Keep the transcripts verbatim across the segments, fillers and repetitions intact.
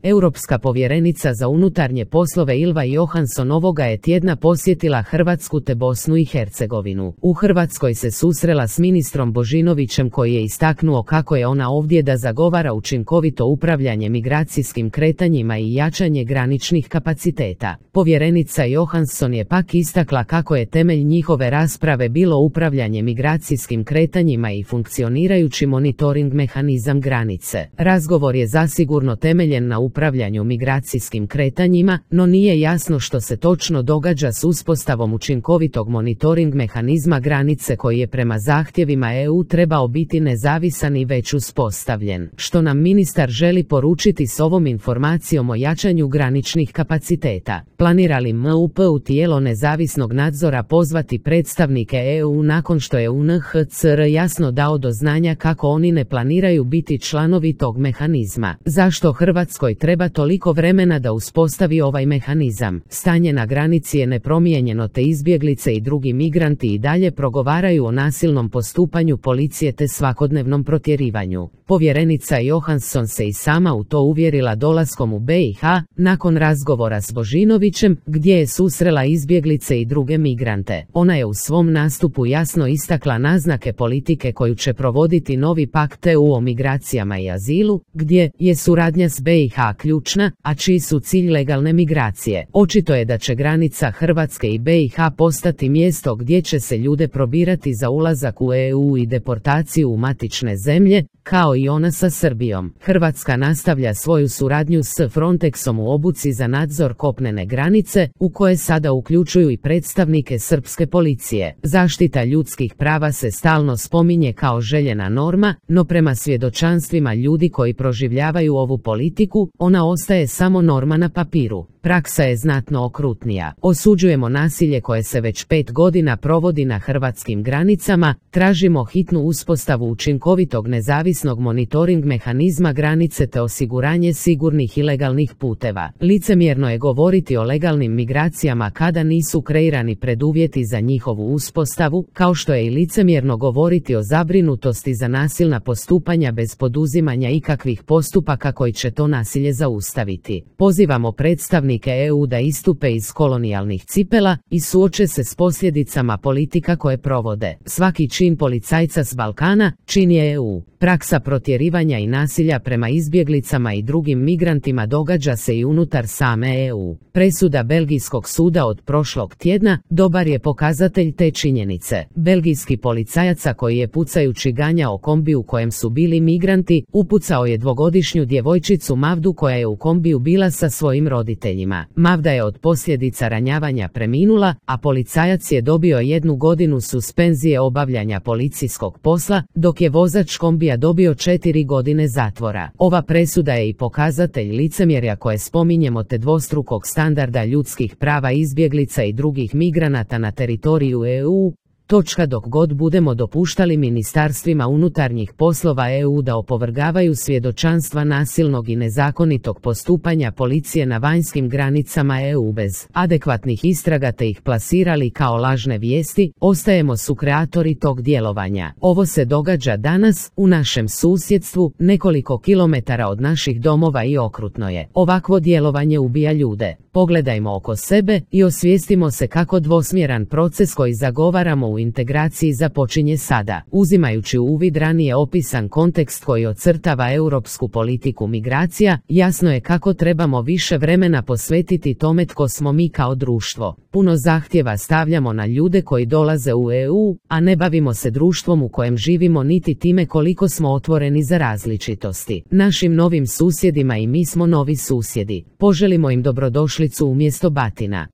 Europska povjerenica za unutarnje poslove Ylva Johansson ovoga je tjedna posjetila Hrvatsku te Bosnu i Hercegovinu. U Hrvatskoj se susrela s ministrom Božinovićem koji je istaknuo kako je ona ovdje da zagovara učinkovito upravljanje migracijskim kretanjima i jačanje graničnih kapaciteta. Povjerenica Johansson je pak istakla kako je temelj njihove rasprave bilo upravljanje migracijskim kretanjima i funkcionirajući monitoring mehanizam granice. Razgovor je zasigurno temeljen na upravljanju migracijskim kretanjima, no nije jasno što se točno događa s uspostavom učinkovitog monitoring mehanizma granice koji je prema zahtjevima E U trebao biti nezavisan i već uspostavljen. Što nam ministar želi poručiti s ovom informacijom o jačanju graničnih kapaciteta? Planira li M U P u tijelo nezavisnog nadzora pozvati predstavnike E U nakon što je U N H C R jasno dao do znanja kako oni ne planiraju biti članovi tog mehanizma? Zašto Hrvatskoj treba toliko vremena da uspostavi ovaj mehanizam? Stanje na granici je nepromijenjeno te izbjeglice i drugi migranti i dalje progovaraju o nasilnom postupanju policije te svakodnevnom protjerivanju. Povjerenica Johansson se i sama u to uvjerila dolaskom u B i H, nakon razgovora s Božinovićem, gdje je susrela izbjeglice i druge migrante. Ona je u svom nastupu jasno istakla naznake politike koju će provoditi novi pakt E U o migracijama i azilu, gdje je suradnja s B i H ključna, a čiji su cilj legalne migracije. Očito je da će granica Hrvatske i B i H postati mjesto gdje će se ljude probirati za ulazak u E U i deportaciju u matične zemlje, kao i ona sa Srbijom. Hrvatska nastavlja svoju suradnju s Frontexom u obuci za nadzor kopnene granice, u koje sada uključuju i predstavnike srpske policije. Zaštita ljudskih prava se stalno spominje kao željena norma, no prema svjedočanstvima ljudi koji proživljavaju ovu politiku, ona ostaje samo norma na papiru. Praksa je znatno okrutnija. Osuđujemo nasilje koje se već pet godina provodi na hrvatskim granicama, tražimo hitnu uspostavu učinkovitog nezavisnog monitoring mehanizma granice te osiguranje sigurnih i legalnih puteva. Licemjerno je govoriti o legalnim migracijama kada nisu kreirani preduvjeti za njihovu uspostavu, kao što je i licemjerno govoriti o zabrinutosti za nasilna postupanja bez poduzimanja ikakvih postupaka koji će to nasilje zaustaviti. Pozivamo predstavnike E U da istupe iz kolonijalnih cipela i suoče se s posljedicama politika koje provode. Svaki čin policajca s Balkana čin je E U. Praksa protjerivanja i nasilja prema izbjeglicama i drugim migrantima događa se i unutar same E U. Presuda Belgijskog suda od prošlog tjedna dobar je pokazatelj te činjenice. Belgijski policajac koji je pucajući ganjao kombi u kojem su bili migranti, upucao je dvogodišnju djevojčicu Mavdu koja je u kombiju bila sa svojim roditeljima. Mavda je od posljedica ranjavanja preminula, a policajac je dobio jednu godinu suspenzije obavljanja policijskog posla, dok je vozač kombija dobio četiri godine zatvora. Ova presuda je i pokazatelj licemjerja koje spominjemo te dvostrukog standarda ljudskih prava izbjeglica i drugih migranata na teritoriju E U. Točka dok god budemo dopuštali ministarstvima unutarnjih poslova E U da opovrgavaju svjedočanstva nasilnog i nezakonitog postupanja policije na vanjskim granicama E U bez adekvatnih istraga te ih plasirali kao lažne vijesti, ostajemo sukreatori tog djelovanja. Ovo se događa danas, u našem susjedstvu, nekoliko kilometara od naših domova i okrutno je. Ovakvo djelovanje ubija ljude. Pogledajmo oko sebe i osvijestimo se kako dvosmjeran proces koji zagovaramo u integraciji započinje sada. Uzimajući u uvid ranije opisan kontekst koji ocrtava europsku politiku migracija, jasno je kako trebamo više vremena posvetiti tome tko smo mi kao društvo. Puno zahtjeva stavljamo na ljude koji dolaze u E U, a ne bavimo se društvom u kojem živimo niti time koliko smo otvoreni za različitosti. Našim novim susjedima i mi smo novi susjedi. Poželimo im dobrodošlicu umjesto batina.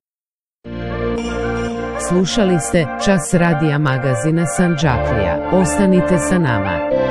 Slušali ste Čas radija magazina Sandžaklija. Ostanite sa nama.